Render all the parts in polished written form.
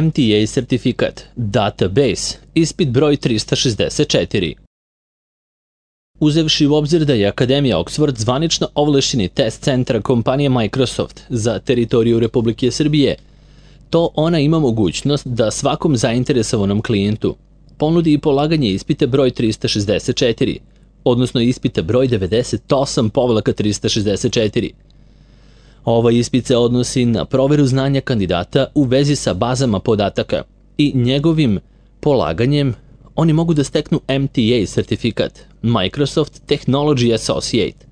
MTA sertifikat, database, ispit broj 364. Uzevši u obzir da je Akademija Oxford zvanično ovlašćeni test centar kompanije Microsoft za teritoriju Republike Srbije, to ona ima mogućnost da svakom zainteresovanom klijentu ponudi i polaganje ispita broj 364, odnosno ispita broj 98/364. Ovaj ispit se odnosi na proveru znanja kandidata u vezi sa bazama podataka i njegovim polaganjem oni mogu da steknu MTA sertifikat, Microsoft Technology Associate.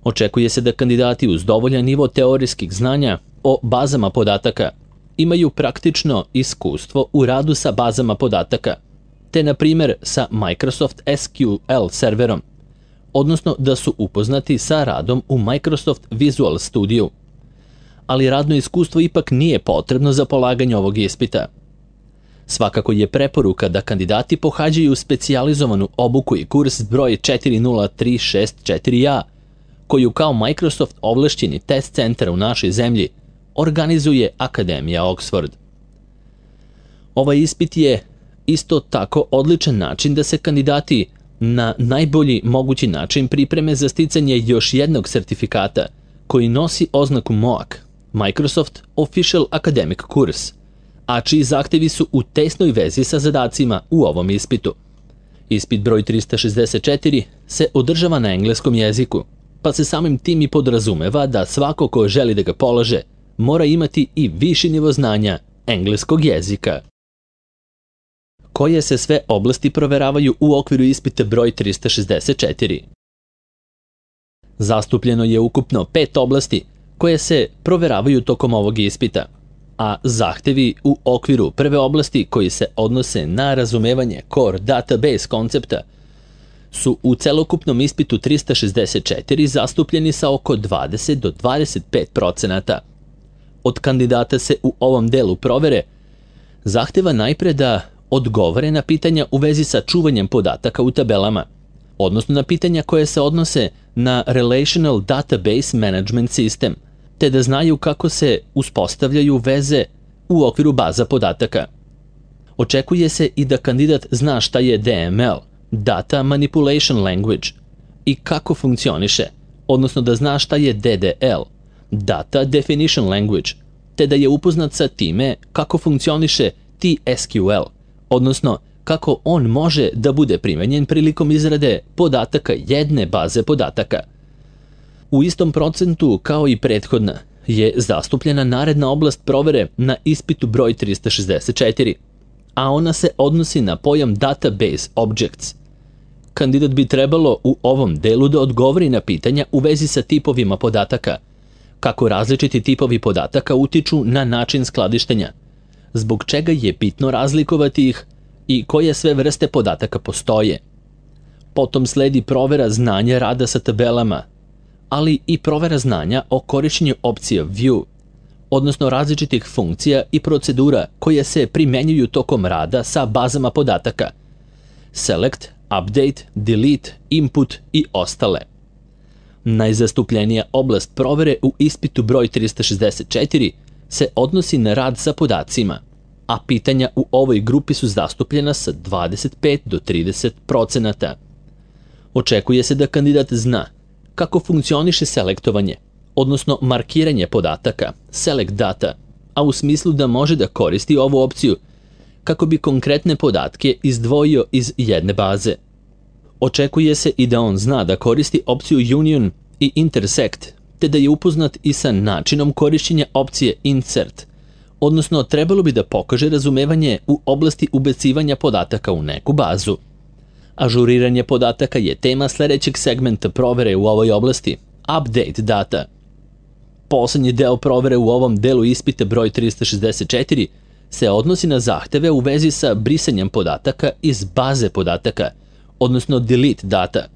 Očekuje se da kandidati uz dovoljan nivo teorijskih znanja o bazama podataka imaju praktično iskustvo u radu sa bazama podataka, te na primjer sa Microsoft SQL serverom, odnosno da su upoznati sa radom u Microsoft Visual Studio. Ali radno iskustvo ipak nije potrebno za polaganje ovog ispita. Svakako je preporuka da kandidati pohađaju specijalizovanu obuku i kurs broj 40364A, koju kao Microsoft ovlašćeni test centar u našoj zemlji organizuje Akademija Oxford. Ovaj ispit je isto tako odličan način da se kandidati na najbolji mogući način pripreme za sticanje još jednog sertifikata koji nosi oznaku MOAC, Microsoft Official Academic Course, a čiji zahtevi su u tesnoj vezi sa zadacima u ovom ispitu. Ispit broj 364 se održava na engleskom jeziku, pa se samim tim i podrazumeva da svako ko želi da ga polaže mora imati i viši nivo znanja engleskog jezika. Koje se sve oblasti proveravaju u okviru ispita broj 364? Zastupljeno je ukupno 5 oblasti koje se proveravaju tokom ovog ispita, a zahtevi u okviru prve oblasti koji se odnose na razumevanje core database koncepta su u celokupnom ispitu 364 zastupljeni sa oko 20 do 25%. Od kandidata se u ovom delu provere zahteva najpre da odgovore na pitanja u vezi sa čuvanjem podataka u tabelama, odnosno na pitanja koje se odnose na Relational Database Management System, te da znaju kako se uspostavljaju veze u okviru baza podataka. Očekuje se i da kandidat zna šta je DML, Data Manipulation Language, i kako funkcioniše, odnosno da zna šta je DDL, Data Definition Language, te da je upoznat sa time kako funkcioniše TSQL, odnosno kako on može da bude primenjen prilikom izrade podataka jedne baze podataka. U istom procentu kao i prethodna je zastupljena naredna oblast provere na ispitu broj 364, a ona se odnosi na pojam Database Objects. Kandidat bi trebalo u ovom delu da odgovori na pitanja u vezi sa tipovima podataka, kako različiti tipovi podataka utiču na način skladištenja, zbog čega je bitno razlikovati ih i koje sve vrste podataka postoje. Potom sledi provera znanja rada sa tabelama, ali i provera znanja o korišćenju opcije View, odnosno različitih funkcija i procedura koje se primenjuju tokom rada sa bazama podataka, Select, Update, Delete, Input i ostale. Najzastupljenija oblast provere u ispitu broj 364 se odnosi na rad sa podacima, a pitanja u ovoj grupi su zastupljena sa 25 do 30%. Očekuje se da kandidat zna kako funkcioniše selektovanje, odnosno markiranje podataka, Select Data, a u smislu da može da koristi ovu opciju kako bi konkretne podatke izdvojio iz jedne baze. Očekuje se i da on zna da koristi opciju Union i Intersect, te da je upoznat i sa načinom korišćenja opcije Insert, odnosno trebalo bi da pokaže razumevanje u oblasti ubacivanja podataka u neku bazu. Ažuriranje podataka je tema sledećeg segmenta provere u ovoj oblasti, Update Data. Poslednji deo provere u ovom delu ispita broj 364 se odnosi na zahteve u vezi sa brisanjem podataka iz baze podataka, odnosno Delete Data.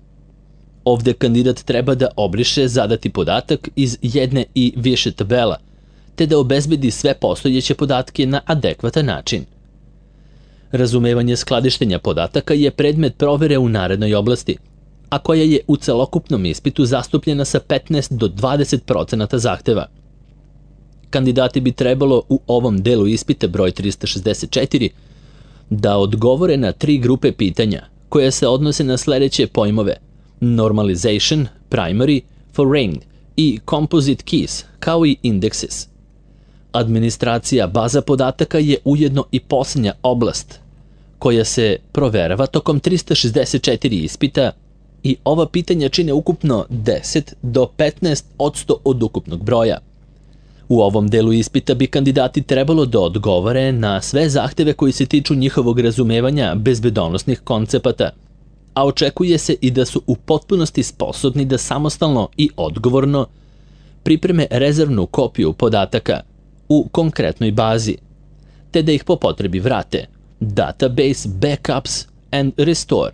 Ovde kandidat treba da obriše zadati podatak iz jedne i više tabela, te da obezbedi sve postojeće podatke na adekvatan način. Razumevanje skladištenja podataka je predmet provere u narednoj oblasti, a koja je u celokupnom ispitu zastupljena sa 15 do 20% zahteva. kandidati bi trebalo u ovom delu ispita broj 364 da odgovore na 3 grupe pitanja koje se odnose na sledeće pojmove: normalization, primary, foreign i composite keys, kao i indexes. Administracija baza podataka je ujedno i posljednja oblast koja se proverava tokom 364 ispita i ova pitanja čine ukupno 10 do 15% od ukupnog broja. U ovom delu ispita bi kandidati trebalo da odgovore na sve zahteve koji se tiču njihovog razumevanja bezbedonosnih koncepata, a očekuje se i da su u potpunosti sposobni da samostalno i odgovorno pripreme rezervnu kopiju podataka u konkretnoj bazi, te da ih po potrebi vrate, database, backups and restore.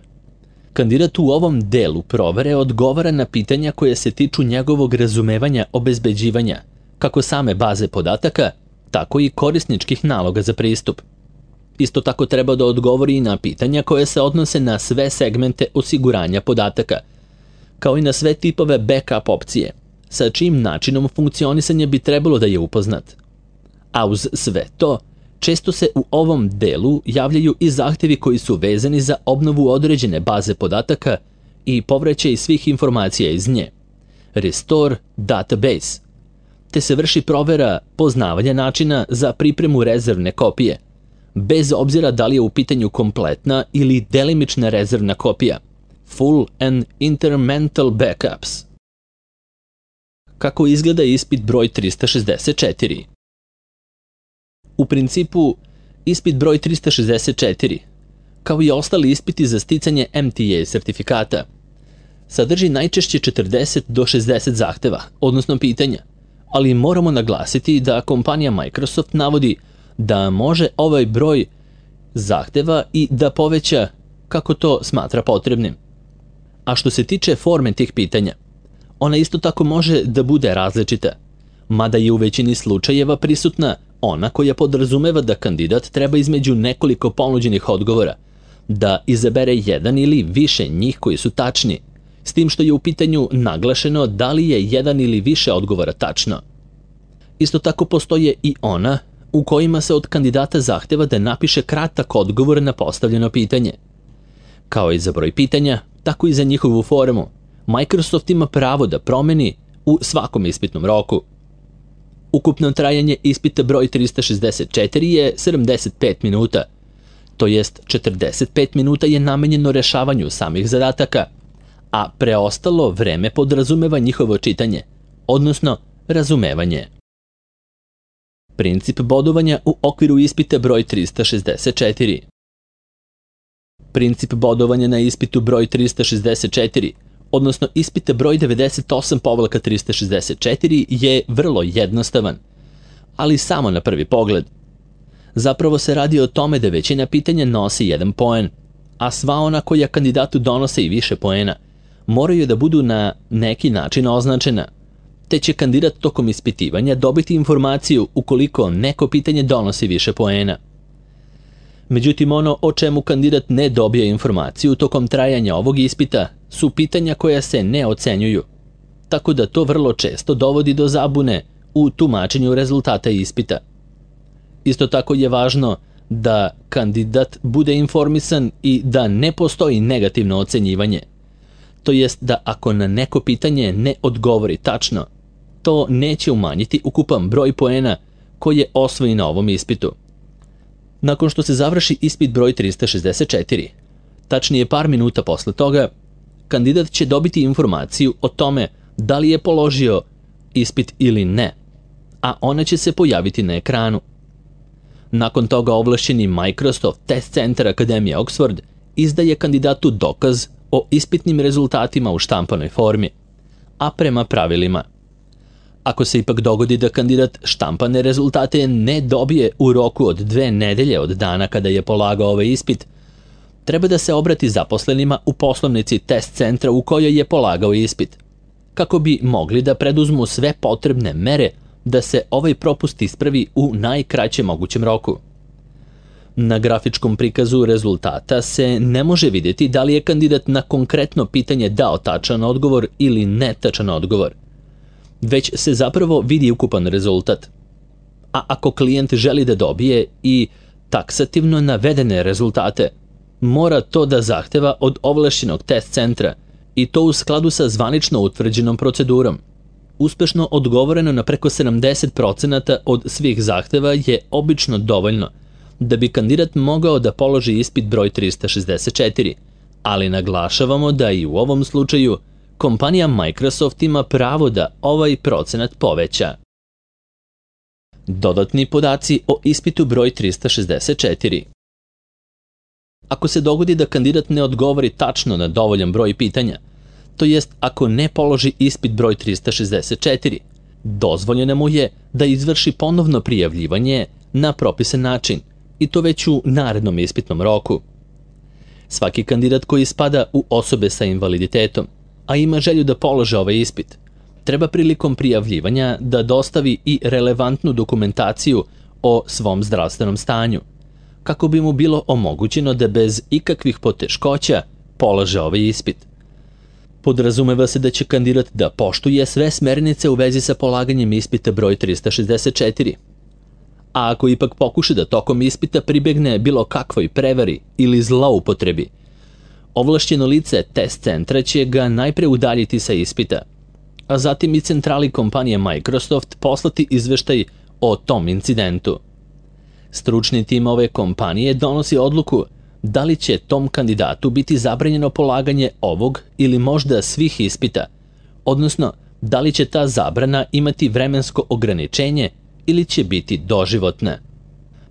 Kandidat u ovom delu provere odgovara na pitanja koje se tiču njegovog razumevanja obezbeđivanja, kako same baze podataka, tako i korisničkih naloga za pristup. Isto tako treba da odgovori i na pitanja koje se odnose na sve segmente osiguranja podataka, kao i na sve tipove backup opcije, sa čijim načinom funkcionisanja bi trebalo da je upoznat. A uz sve to, često se u ovom delu javljaju i zahtevi koji su vezani za obnovu određene baze podataka i povraćaj svih informacija iz nje, restore database, te se vrši provera poznavanja načina za pripremu rezervne kopije, bez obzira da li je u pitanju kompletna ili delimična rezervna kopija, full and incremental backups. Kako izgleda ispit broj 364? U principu, ispit broj 364, kao i ostali ispiti za sticanje MTA sertifikata, sadrži najčešće 40 do 60 zahteva, odnosno pitanja, ali moramo naglasiti da kompanija Microsoft navodi da može ovaj broj zahteva i da poveća kako to smatra potrebnim. A što se tiče forme tih pitanja, ona isto tako može da bude različita, mada je u većini slučajeva prisutna ona koja podrazumeva da kandidat treba između nekoliko ponuđenih odgovora da izabere jedan ili više njih koji su tačni, s tim što je u pitanju naglašeno da li je jedan ili više odgovora tačno. Isto tako postoje i ona u kojima se od kandidata zahteva da napiše kratak odgovor na postavljeno pitanje. Kao i za broj pitanja, tako i za njihovu formu, Microsoft ima pravo da promeni u svakom ispitnom roku. Ukupno trajanje ispita broj 364 je 75 minuta, to jest 45 minuta je namenjeno rešavanju samih zadataka, a preostalo vreme podrazumeva njihovo čitanje, odnosno razumevanje. Princip bodovanja u okviru ispita broj 364. Princip bodovanja na ispitu broj 364, odnosno ispita broj 98/364 je vrlo jednostavan, ali samo na prvi pogled. Zapravo se radi o tome da većina pitanja nosi 1 poen, a sva ona koja kandidatu donose i više poena moraju da budu na neki način označena, te će kandidat tokom ispitivanja dobiti informaciju ukoliko neko pitanje donosi više poena. Međutim, ono o čemu kandidat ne dobije informaciju tokom trajanja ovog ispita su pitanja koja se ne ocenjuju, tako da to vrlo često dovodi do zabune u tumačenju rezultata ispita. Isto tako je važno da kandidat bude informisan i da ne postoji negativno ocenjivanje, to jest da ako na neko pitanje ne odgovori tačno, to neće umanjiti ukupan broj poena koji je osvojen na ovom ispitu. Nakon što se završi ispit broj 364, tačnije par minuta posle toga, kandidat će dobiti informaciju o tome da li je položio ispit ili ne, a ona će se pojaviti na ekranu. Nakon toga ovlašćeni Microsoft Test Center Akademije Oxford izdaje kandidatu dokaz o ispitnim rezultatima u štampanoj formi, a prema pravilima. Ako se ipak dogodi da kandidat štampane rezultate ne dobije u roku od 2 nedelje od dana kada je polagao ovaj ispit, treba da se obrati zaposlenima u poslovnici test centra u kojoj je polagao ispit, kako bi mogli da preduzmu sve potrebne mere da se ovaj propust ispravi u najkraćem mogućem roku. Na grafičkom prikazu rezultata se ne može vidjeti da li je kandidat na konkretno pitanje dao tačan odgovor ili netačan odgovor, već se zapravo vidi ukupan rezultat. a ako klijent želi da dobije i taksativno navedene rezultate, mora to da zahteva od ovlašćenog test centra i to u skladu sa zvanično utvrđenom procedurom. Uspešno odgovoreno na preko 70% od svih zahteva je obično dovoljno da bi kandidat mogao da položi ispit broj 364, ali naglašavamo da i u ovom slučaju kompanija Microsoft ima pravo da ovaj procenat poveća. Dodatni podaci o ispitu broj 364. Ako se dogodi da kandidat ne odgovori tačno na dovoljan broj pitanja, to jest ako ne položi ispit broj 364, dozvoljeno mu je da izvrši ponovno prijavljivanje na propisan način i to već u narednom ispitnom roku. Svaki kandidat koji spada u osobe sa invaliditetom, a ima želju da polože ovaj ispit, treba prilikom prijavljivanja da dostavi i relevantnu dokumentaciju o svom zdravstvenom stanju, kako bi mu bilo omogućeno da bez ikakvih poteškoća polaže ovaj ispit. Podrazumeva se da će kandidat da poštuje sve smernice u vezi sa polaganjem ispita broj 364. A ako ipak pokuša da tokom ispita pribegne bilo kakvoj prevari ili zloupotrebi, ovlašćeno lice test centra će ga najpre udaljiti sa ispita, a zatim i centrali kompanije Microsoft poslati izveštaj o tom incidentu. Stručni tim ove kompanije donosi odluku da li će tom kandidatu biti zabranjeno polaganje ovog ili možda svih ispita, odnosno da li će ta zabrana imati vremensko ograničenje ili će biti doživotna.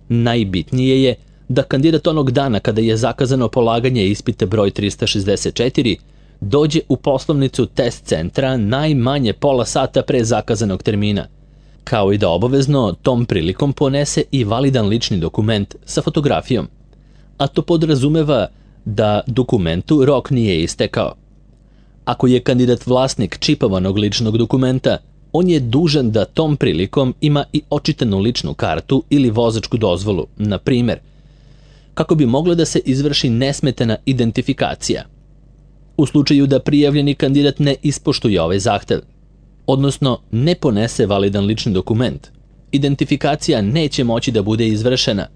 Najbitnije je da kandidat onog dana kada je zakazano polaganje ispita broj 364 dođe u poslovnicu test centra najmanje pola sata pre zakazanog termina, kao i da obavezno tom prilikom ponese i validan lični dokument sa fotografijom, a to podrazumeva da dokumentu rok nije istekao. Ako je kandidat vlasnik čipovanog ličnog dokumenta, on je dužan da tom prilikom ima i očitanu ličnu kartu ili vozačku dozvolu, na primer, kako bi mogla da se izvrši nesmetana identifikacija. U slučaju da prijavljeni kandidat ne ispoštuje ovaj zahtev, odnosno ne ponese validan lični dokument, identifikacija neće moći da bude izvršena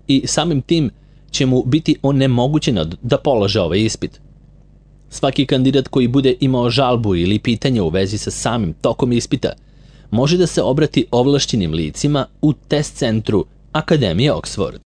i samim tim će mu biti onemogućeno da polaže ovaj ispit. Svaki kandidat koji bude imao žalbu ili pitanje u vezi sa samim tokom ispita može da se obrati ovlašćenim licima u test centru Akademije Oxford.